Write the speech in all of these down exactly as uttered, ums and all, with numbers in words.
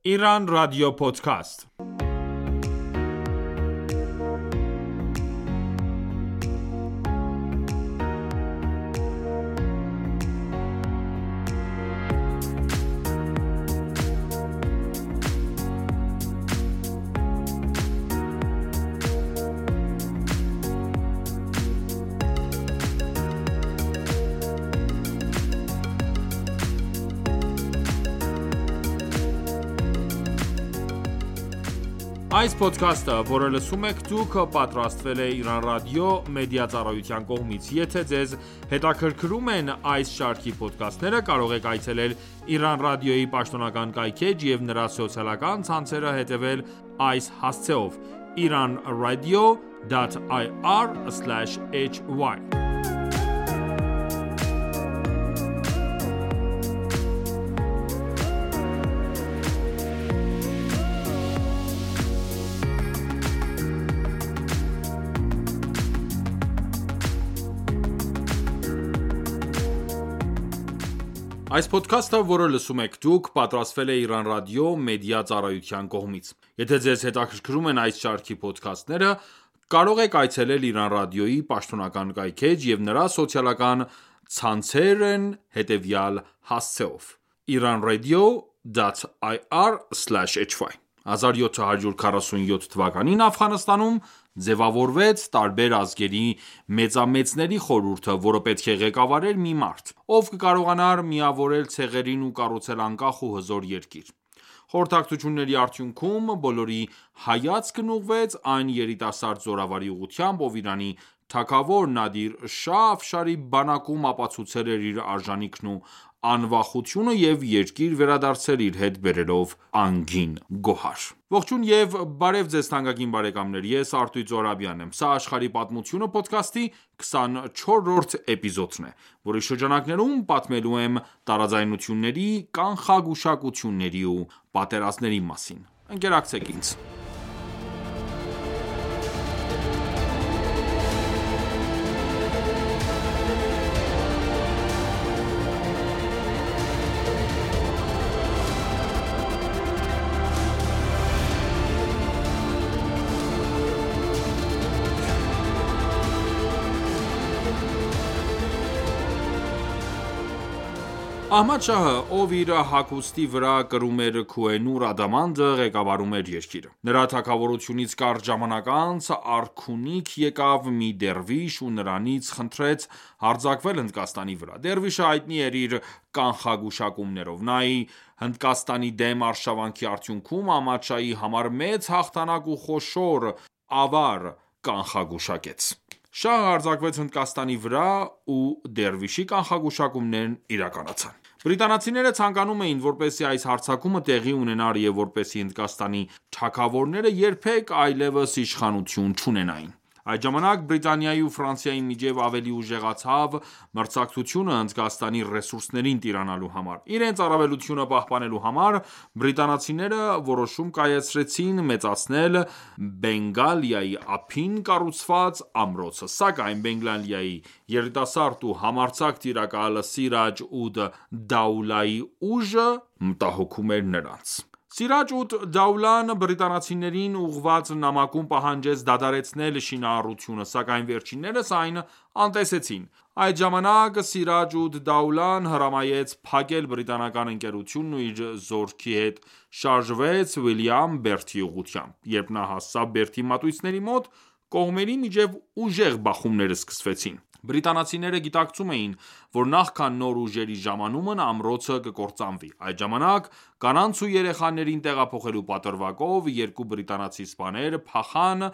Iran Radio Podcast. Այս ոդքասթը, որը լսում եք դուք, պատրաստվել է Iran Radio մեդիա ծառայության կողմից։ Եթե ձեզ հետաքրքրում են այս շարքի ոդքասթները, կարող եք այցելել Iran Radio-ի պաշտոնական կայքէջ և նրա սոցիալական ցանցերը հետևել այս հասցեով՝ iranradio dot ir slash hy Այս ոդքասթը, որը լսում եք դուք, պատրաստվել է Iran Radio մեդիա ծառայության կողմից։ Եթե ձեզ հետաքրքրում են այս շարքի ոդքասթները, կարող եք այցելել Iran Radio-ի պաշտոնական կայքէջ և նրա սոցիալական ցանցերն հետևյալ հասցեով՝ iranradio dot ir slash hy հազար յոթ հարյուր քառասունյոթ թվականին Աֆղանստանում ձևավորվեց տարբեր ազգերի մեծամեծների խորհուրդը, որը պետք է ղեկավարեր մի մարդ, ով կկարողանար միավորել ցեղերին ու կառուցել անկախ ու հզոր երկիր։ Խորհրդակցությունների արդյունքում բոլորի հայացքն ուղղվեց այն երիտասարդ զորավարի ուղղությամբ, ով Իրանի թագավոր Նադիր Շահ Աֆշարի բանակում ապացուցել էր իր արժանիքն ու անվախությունը և երկիր վերադարձել իր հետ բերելով անգին գոհար։ Ողջույն և բարև ձեզ թանկագին բարեկամներ, ես Արտույտ Զոհրաբյանն եմ։ Սա աշխարհի պատմությունը ոդքասթի քսանչորրորդ էպիզոդն է, որի շրջանակներում պատմելու եմ տարաձայնությունների, կանխագուշակությունների ու պատերազմների մասին։ Ընկերակցեք ինձ։ Ահմադ Շահը, ով իր հագուստի վրա կրում էր Քուհ-ե-Նուր ադամանդը, ղեկավարում էր երկիրը։ Նրա թագավորությունից կարճ ժամանակ անց արքունիք եկավ մի դերվիշ ու նրանից խնդրեց հարձակվել Հնդկաստանի վրա։ Դերվիշը հայտնի էր իր կանխագուշակումներով։ Նա Հնդկաստանի դեմ արշավանքի արդյունքում Ահմադ Շահի համար մեծ հաղթանակ ու խոշոր ավար կանխագուշակեց։ Շահը հարձակվեց Հնդկաստանի վրա ու դերվիշի կանխագուշակումներն իրականացան։ Բրիտանացիները ցանկանում էին, որպեսզի այս հարձակումը տեղի ունենար և որպեսզի Հնդկաստանի թագավորները երբեք այլևս իշխանություն չունենային։ Այդ ժամանակ Բրիտանիայի ու Ֆրանսիայի միջև ավելի ուժեղացավ մրցակցությունը Հնդկաստանի ռեսուրսներին տիրանալու համար։ Իրենց առավելությունը պահպանելու համար բրիտանացիները որոշում կայացրեցին մեծացնել Բենգալիայի ափին կառուցված ամրոցը, սակայն Բենգալիայի երիտասարդ ու համարձակ տիրակալ Սիրաջ ուդ Դաուլայի ուժը մտահոգում էր նրանց։ Սիրաջ ուդ Դաուլան բրիտանացիներին ուղղված նամակում պահանջեց դադարեցնել շինարարությունը, սակայն վերջիններս այն անտեսեցին։ Այդ ժամանակ Սիրաջ ուդ Դաուլան հրամայեց փակել բրիտանական ընկերությունն ու իր զորքի հետ շարժվեց Վիլյամ Բերթի ուղղությամբ։ Երբ նա հասավ Բերթի մատույցների մոտ, կողմերի միջև ուժեղ բախումներ սկսվեցին։ Բրիտանացիները գիտակցում էին, որ նախքան նոր ուժերի ժամանումն ամրոցը կկործանվի։ Այդ ժամանակ կանանց ու երեխաներին տեղափոխելու պատրվակով երկու բրիտանացի սպաներ փախան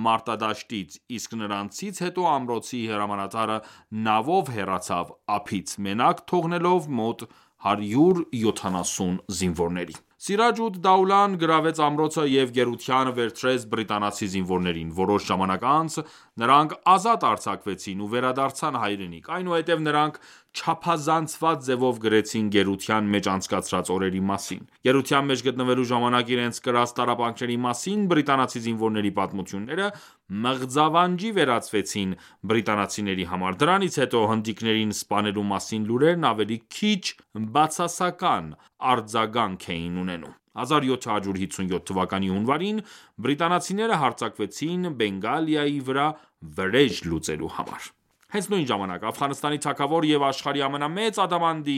մարտադաշտից, իսկ նրանցից հետո ամրոցի հրամանատարը նավով հեռացավ ափից, մենակ թողնելով մոտ հարյուր յոթանասուն զինվորների։ Սիրաջ ուդ Դաուլան գրավեց ամրոցը և գերության վերցրեց բրիտանացի զինվորներին։ Որոշ ժամանակ անց նրանք ազատ արձակվեցին ու վերադարձան հայրենիք։ Այնուհետև նրանք չափազանցված ձևով գրեցին գերության մեջ անցկացրած օրերի մասին։ Գերության մեջ գտնվելու ժամանակ իրենց կրած տառապանքների մասին բրիտանացի զինվորների պատմությունները մղձավանջի վերածվեցին բրիտանացիների համար։ Դրանից հետո հնդիկներին սպանելու մասին լուրերն ավելի քիչ բացասական արձագանք էին ունենում։ հազար յոթ հարյուր հիսունյոթ թվականի հունվարին բրիտանացիները հարձակվեցին Բենգալիայի վրա վրեժ լուծելու համար: Հենց նույն ժամանակ Աֆղանստանի թագավոր և աշխարհի ամենամեծ ադամանդի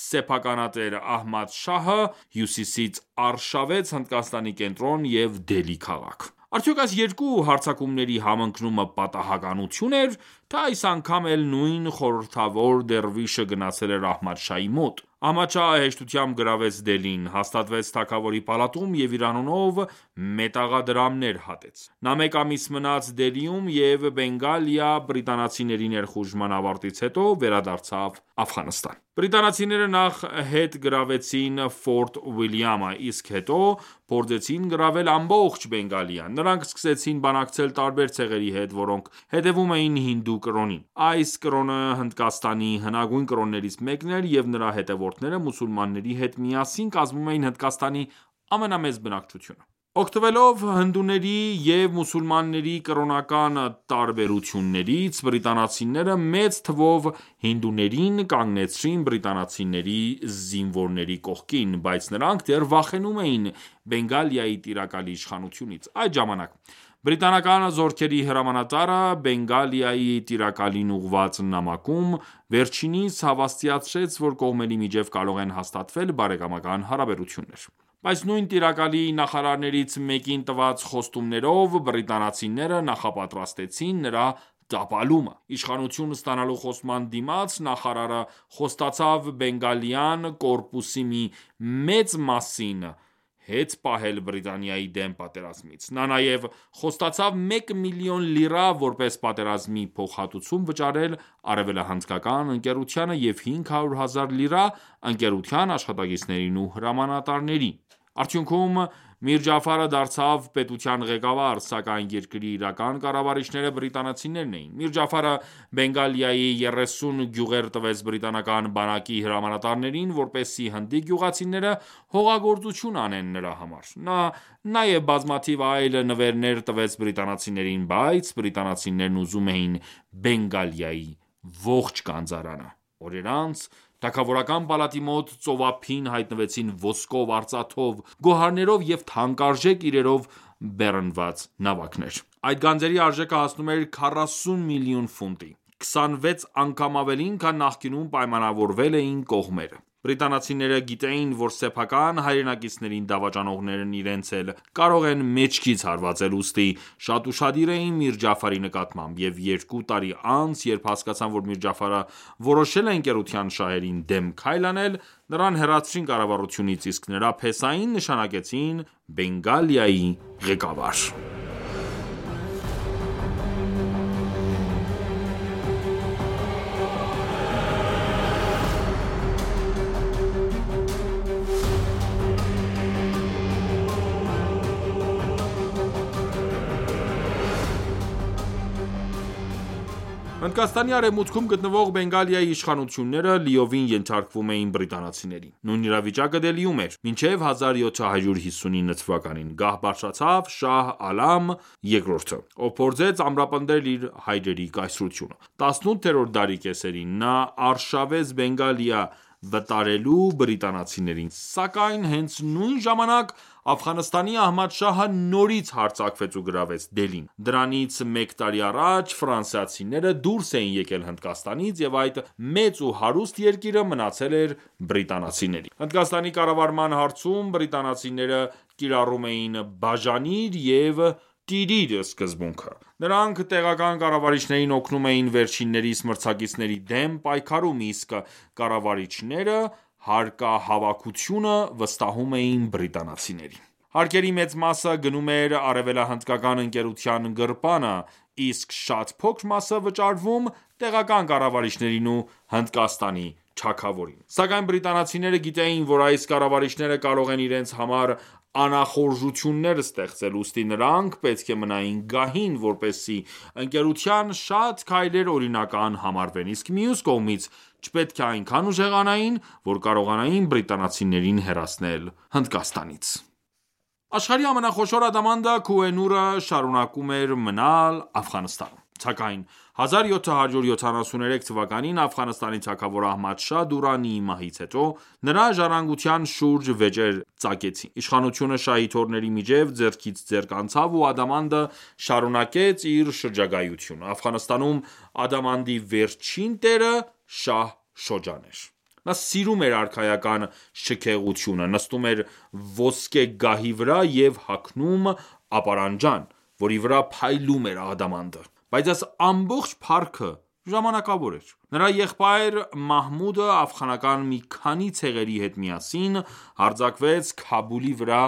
սեփականատեր Ահմադ Շահը հյուսիսից արշավեց Հնդկաստանի կենտրոն և Դելհի քաղաք: Արդյոք այս երկու հարձակումների համընկնումը պատահականություն էր, թե այս անգամ էլ նույն խորհրդավոր դերվիշը գնացել էր Ահմադ Շահի մոտ: Ահմադ Շահը հեշտությամբ գրավեց Դելհին, հաստատվեց թագավորի պալատում և իր անունով մետաղադրամներ հատեց: Նա մեկ ամիս մնաց Դելհիում և Բենգալիա բրիտանացիների ներխուժման ավարտից հետո վերադարձավ Աֆղանստան: Բրիտանացիները նախ հետ գրավեցին Ֆորտ Ուիլյամը, իսկ հետո փորձեցին գրավել ամբողջ Բենգալիան: Նրանք սկսեցին բանակցել տարբեր ցեղերի հետ, որոնք հետևում էին հինդու կրոնին: Այս կրոնը Հնդկաստանի հնագույն կրոններից մեկն էր և նրա հետևորդները մուսուլմանների հետ միասին կազմում էին Հնդկաստանի ամենամեծ բնակչությունը: Օգտվելով հնդուների և մուսուլմանների կրոնական տարբերություններից, բրիտանացիները մեծ թվով հինդուներին կանգնեցրին բրիտանացիների զինվորների կողքին, բայց նրանք դեռ վախենում էին Բենգալիայի տիրակալի իշխանությունից: Այդ ժամանակ բրիտանական զորքերի հրամանատարը Բենգալիայի տիրակալին ուղղված նամակում վերջինիս հավաստիացրեց, որ կողմերի միջև կարող են հաստատվել բարեկամական հարաբերություններ: Բայց նույն տիրակալի նախարարներից մեկին տված խոստումներով բրիտանացիները նախապատրաստեցին նրա տապալումը: Իշխանություն ստանալու խոստման դիմաց նախարարը խոստացավ Բենգալյան կորպուսի մի մեծ մասին հետ պահել Բրիտանիայի դեմ պատերազմից: Նա նաև խոստացավ մեկ միլիոն լիրա որպես պատերազմի փոխհատուցում վճարել արևելահնդկական ընկերությանը և հինգ հարյուր հազար լիրա ընկերության աշխատակիցներին ու հրամանատարներին: Արդյունքում Միր Ջաֆարը դարձավ պետության ղեկավար, սակայն երկրի իրական կառավարիչները բրիտանացիներն էին: Միր Ջաֆարը Բենգալիայի երեսուն գյուղեր տվեց բրիտանական բանակի հրամանատարներին, որպեսզի հնդիկ գյուղացիները հողագործություն անեն նրա համար: Նա նաև բազմաթիվ այլ նվերներ տվեց բրիտանացիներին, բայց բրիտանացիներն ուզում էին Բենգալիայի ողջ գանձարանը: Օրեր անց թագավորական պալատի մոտ ծովափին հայտնվեցին ոսկով, արծաթով, գոհարներով և թանկարժեք իրերով բեռնված նավակներ: Այդ գանձերի արժեքը հասնում էր քառասուն միլիոն ֆունտի: քսանվեց անգամ ավելին, քան նախկինում պայմանավորվել էին կողմերը: Բրիտանացիները գիտեին, որ սեփական հայրենակիցներին դավաճանողներն իրենց էլ կարող են մեջքից հարվածել, ուստի շատ ուշադիր էին Միր Ջաֆարի նկատմամբ: Եվ երկու տարի անց, երբ հասկացան, որ Միր Ջաֆարը որոշել է ընկերության շահերին դեմ քայլ անել, նրան հեռացրին կառավարությունից, իսկ նրա փեսային նշանակեցին Բենգալիայի ղեկավար: Հնդկաստանի արևմուտքում գտնվող Բենգալիայի իշխանությունները լիովին ենթարկվում էին բրիտանացիներին: Նույն իրավիճակը Դելհիում էր: Մինչև հազար յոթ հարյուր հիսունինը թվականին գահ բարձրացավ Շահ Ալամ երկրորդը, ով փորձեց ամրապնդել իր հայրերի կայսրությունը: տասնութերորդ դարի կեսերին նա արշավեց Բենգալիա վտարելու բրիտանացիներին: Սակայն հենց նույն ժամանակ Աֆղանստանի Ահմադ Շահը նորից հարձակվեց ու գրավեց Դելհին: Դրանից մեկ տարի առաջ ֆրանսիացիները դուրս էին եկել Հնդկաստանից և այդ մեծ ու հարուստ երկիրը մնացել էր բրիտանացիների: Հնդկաստանի կառավարման հարցում բրիտանացիները կիրառում էին բաժանիր և տիրիր սկզբունքը: Նրանք տեղական կառավարիչներին օգնում էին վերջիններիս մրցակիցների դեմ պայքարում, իսկ կառավարիչները հարկահավաքությունը վստահում էին բրիտանացիներին: Հարկերի մեծ մասը գնում էր արևելահնդկական ընկերության գրպանը, իսկ շատ փոքր մասը վճարվում տեղական կառավարիչներին ու Հնդկաստանի թագավորին: Սակայն բրիտանացիները գիտեին, որ այս կառավարիչները կարող են իրենց համար անախորժություններ ստեղծել, ուստի նրանք պետք է մնային գահին, որպեսզի ընկերության շատ քայլեր օրինական համարվեն, իսկ մյուս կողմից չպետք է այնքան ուժեղանային, որ կարողանային բրիտանացիներին հեռացնել Հնդկաստանից: Աշխարհի ամենախոշոր ադամանդը Քուհ-e-Նուրը շարունակում էր մնալ Աֆղանստանում: Սակայն հազար յոթ հարյուր յոթանասուներեք թվականին Աֆղանստանի թագավոր Ահմադ Շահ Դուրանիի մահից հետո, նրա ժառանգության շուրջ վեճեր ծագեցին։ Իշխանությունը շահի թոռների միջև ձեռքից ձեռք անցավ ու Ադամանդը շարունակեց իր շրջագայությունը։ Աֆղանստանում Ադամանդի վերջին տերը Շահ Շոջան էր։ Նա սիրում էր արքայական շքեղությունը, նստում էր ոսկե գահի վրա և հագնում ապարանջան, որի վրա փայլում էր ադամանդը։ Բայց այս ամբողջ փառքը ժամանակավոր էր։ Նրա եղբայր Մահմուդը աֆղանական մի քանի ցեղերի հետ միասին հարձակվեց Քաբուլի վրա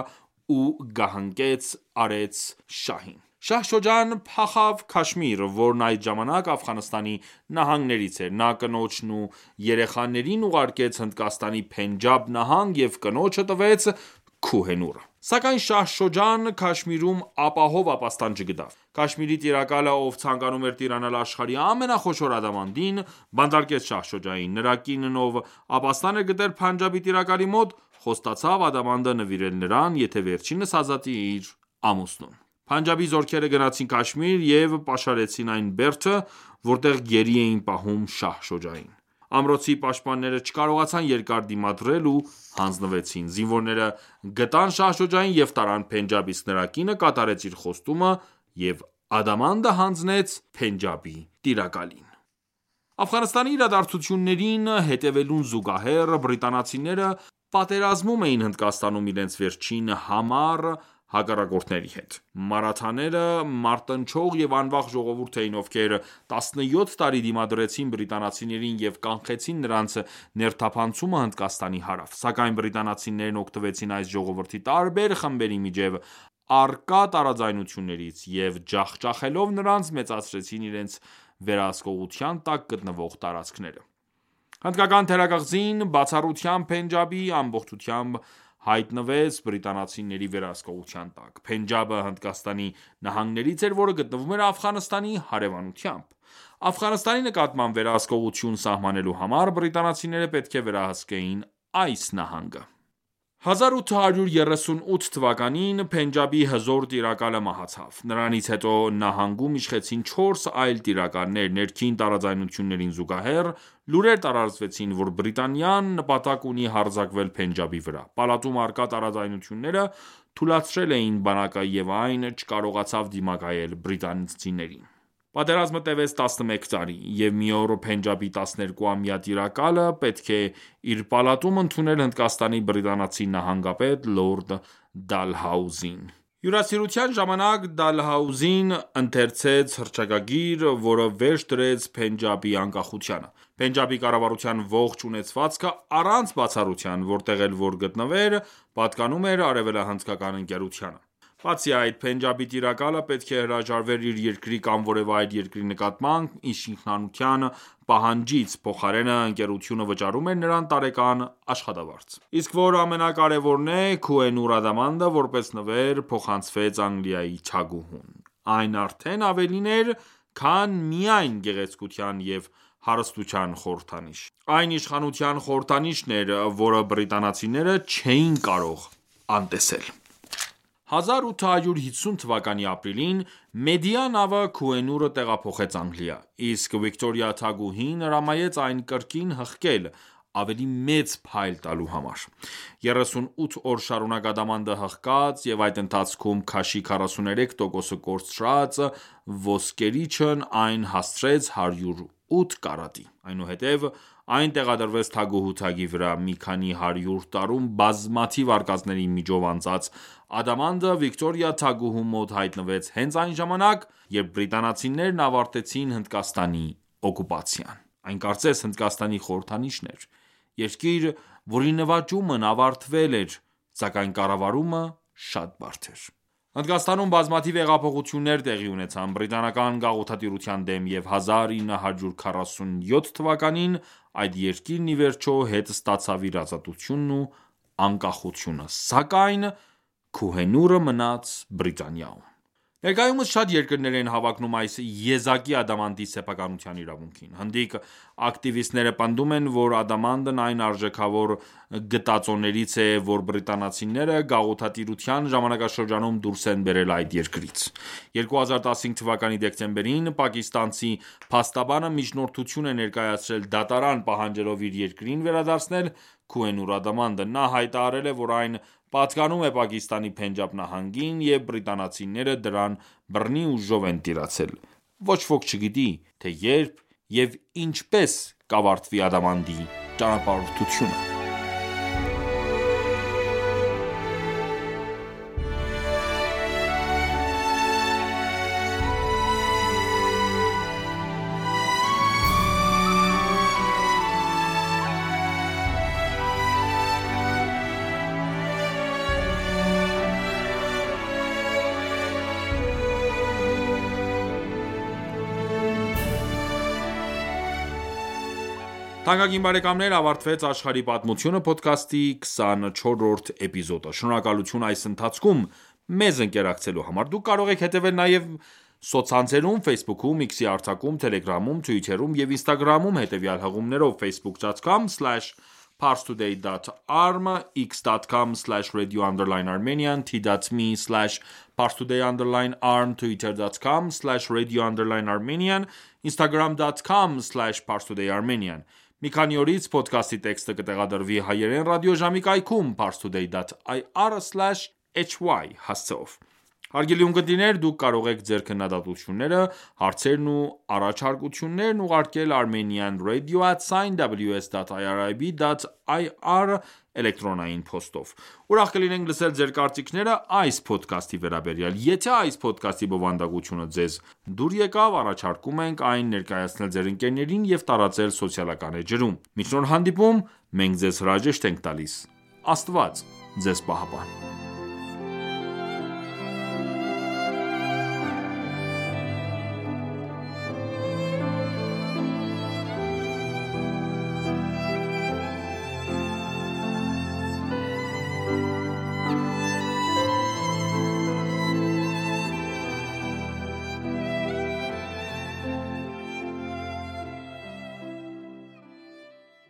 ու գահանկեց արեց շահին։ Շահ Շոջան փախավ Քաշմիր, որն այդ ժամանակ Աֆղանստանի նահանգներից էր։ Նա կնոջն ու երեխաներին ուղարկեց Հնդկաստանի Փենջաբ նահանգ և կնոջը տվեց Քուհենուռը։ Սակայն Շահ Շոջան Քաշմիրում ապահով ապաստան չգտավ։ Քաշմիրի տիրակալը, ով ցանկանում էր տիրանալ աշխարհի ամենախոշոր ադամանդին, բանտարկեց Շահ Շոջային։ Նրա կինն, ով ապաստան էր գտել Փանջաբի տիրակալի մոտ, խոստացավ ադամանդը նվիրել նրան, եթե վերջինս ազատի իր ամուսնուն։ Փանջաբի զորքերը գնացին Քաշմիր և պաշարեցին այն բերդը, որտեղ գերի էին պահում Շահ Շոջային։ Ամրոցի պաշտպանները չկարողացան երկար դիմադրել ու հանձնվեցին։ Զինվորները գտան Շահ Շոջային և տարան Փենջաբ, իսկ նրա կինը կատարեց իր խոստումը և ադամանդը հանձնեց Փենջաբի տիրակալին։ Աֆղանստանի իրադարձություններին հետևելուն զուգահեռ, բրիտանացիները պատերազմում էին Հնդկաստանում իրենց վերջին համառ հակառակորդների հետ։ Մարաթաները մարտնչող և անվախ ժողովուրդ էին, ովքեր տասնյոթ տարի դիմադրեցին բրիտանացիներին և կանխեցին նրանց ներթափանցումը Հնդկաստանի հարավ։ Սակայն բրիտանացիներն օգտվեցին այս ժողովրդի տարբեր խմբերի միջև առկա տարաձայնություններից և ջախջախելով նրանց, մեծացրեցին իրենց վերահսկողության տակ գտնվող տարածքները։ Հնդկական թերագաղձին բացառությամբ Փենջաբի ամբողջությամբ հայտնվեց բրիտանացիների վերահսկողության տակ։ Փենջաբը Հնդկաստանի նահանգներից էր, որը գտնվում էր Աֆղանստանի հարևանությամբ։ Աֆղանստանի նկատմամբ վերահսկողություն սահմանելու համար բրիտանացիները պետք է վերահսկեին այս նահանգը։ հազար ութ հարյուր երեսունութ թվականին Փենջաբի հզոր տիրակալը մահացավ։ Նրանից հետո նահանգում իշխեցին չորս այլ տիրակալներ։ Ներքին տարաձայնություններին զուգահեռ, լուրեր տարածվեցին, որ Բրիտանիան նպատակ ունի հարձակվել Փենջաբի վրա։ Պալատում առկա տարաձայնությունները թուլացրել էին բանակը և այն չկարողացավ դիմակայել բրիտանացիներին։ Պատերազմը տևեց տասնմեկ տարի, և մի օր Փենջաբի տասներկուամյա տիրակալը պետք է իր պալատում ընդուներ Հնդկաստանի բրիտանացի նահանգապետ լորդ Դալհաուզին։ Հյուրասիրության ժամանակ Դալհաուզին ընթերցեց հռչակագիր, որը վերջ դրեց Փենջաբի անկախությանը։ Փենջաբի կառավարության ողջ ունեցվածքը, առանց բացառության, որտեղ էլ որ գտնվեր, պատկանում էր արևելահնդկական ընկերությանը։ Բացի այդ, Փենջաբի տիրակալը պետք է հրաժարվեր իր երկրի կամ որևէ այլ երկրի նկատմամբ իշխանության պահանջից, փոխարենը ընկերությունը վճարում էր նրան տարեկան աշխատավարձ։ Իսկ որ ամենակարևորն է, Քուհենուռ ադամանդը, որպես նվեր, փոխանցվեց Անգլիայի թագուհուն։ Այն արդեն ավելին էր, քան միայն գեղեցկության և հարստության խորհրդանիշ։ Այն իշխանության խորհրդանիշն էր, որը բրիտանացիները չէին կարող անտեսել։ հազար ութ հարյուր հիսուն թվականի ապրիլին Մեդիա նավը Քուհենուռը տեղափոխեց Անգլիա, իսկ Վիկտորիա թագուհին հրամայեց այն կրկին հղկել՝ ավելի մեծ փայլ տալու համար։ երեսունութ օր շարունակ ադամանդը հղկած և այդ ընթացքում քաշի քառասուներեք տոկոսը կորցրած ոսկերիչն այն հասցրեց հարյուր ութ կարատի։ Այնուհետև այն տեղադրվեց թագուհու թագի վրա։ Մի քանի հարյուր տարում բազմաթիվ արկածների միջով անցած ադամանդը Վիկտորիա թագուհու մոտ հայտնվեց հենց այն ժամանակ, երբ բրիտանացիներն ավարտեցին Հնդկաստանի օկուպացիան։ Այն կարծես Հնդկաստանի խորհրդանիշն էր։ Երկիր, որի նվաճումն ավարտվել էր, սակայն կառավարումը շատ բարդ էր։ Հնդկաստանում բազմաթիվ հեղափոխություններ տեղի ունեցան բրիտանական գաղութատիրության դեմ, և հազար ինը հարյուր քառասունյոթ թվականին այդ երկիրն ի վերջո հետ ստացավ իր ազատությունն ու անկախությունը, սակայն Քուհենուռը մնաց Բրիտանիայում։ Ներկայումս շատ երկրներ են հավակնում այս եզակի ադամանդի սեփականության իրավունքին։ Հնդիկ ակտիվիստները պնդում են, որ ադամանդն այն արժեքավոր գտածոներից է, որ բրիտանացիները գաղութատիրության ժամանակաշրջանում դուրս են բերել այդ երկրից։ երկու հազար տասնհինգ թվականի դեկտեմբերին պակիստանցի փաստաբանը միջնորդություն է ներկայացրել դատարան պահանջելով իր երկրին վերադարձնել Քուենուր ադամանդը։ Նա հայտարարել է, որ այն պատկանում է Պակիստանի Փենջաբ նահանգին և բրիտանացիները դրան բռնի ուժով են տիրացել։ Ոչ ոք չգիտի, թե երբ և ինչպես կավարտվի ադամանդի ճանապարհորդությունը։ Թանկագին բարեկամներ, ավարտվեց «Աշխարհի պատմությունը» փոդքասթի քսանչորրորդ էպիզոդը։ Շնորհակալություն այս ընթացքում մեզ ընկերակցելու համար։ Դուք կարող եք հետևել նաև սոցցանցերում Facebook-ում, X-ի արձակում, Telegram-ում, Twitter-ում և Instagram-ում հետևյալ հղումներով՝ facebook dot com slash parstoday dot arm, x dot com slash radio underline armenian, t dot m e slash parstoday underline arm, twitter dot com slash radio underline armenian, instagram dot com slash parstoday armenian։ Մի քանի օրից փոդքասթի տեքստը կտեղադրվի հայերեն ռադիոժամի կայքում parstoday dot i r slash h y հասցեով։ Հարգելի ունկնդիրներ, դուք կարող եք ձեր քննադատությունները, հարցերն ու առաջարկություններն ուղարկել Armenian radio at w s dot irib dot i r էլեկտրոնային փոստով։ Ուրախ կլինենք լսել ձեր կարծիքները այս փոդքասթի վերաբերյալ։ Եթե այս փոդքասթի բովանդակությունը ձեզ դուր եկավ, առաջարկում ենք այն ներկայացնել ձեր ընկերներին և տարածել սոցիալական էջերում։ Մինչ նոր հանդիպում, մենք ձեզ հրաժեշտ ենք տալիս։ Աստված ձեզ պահապան։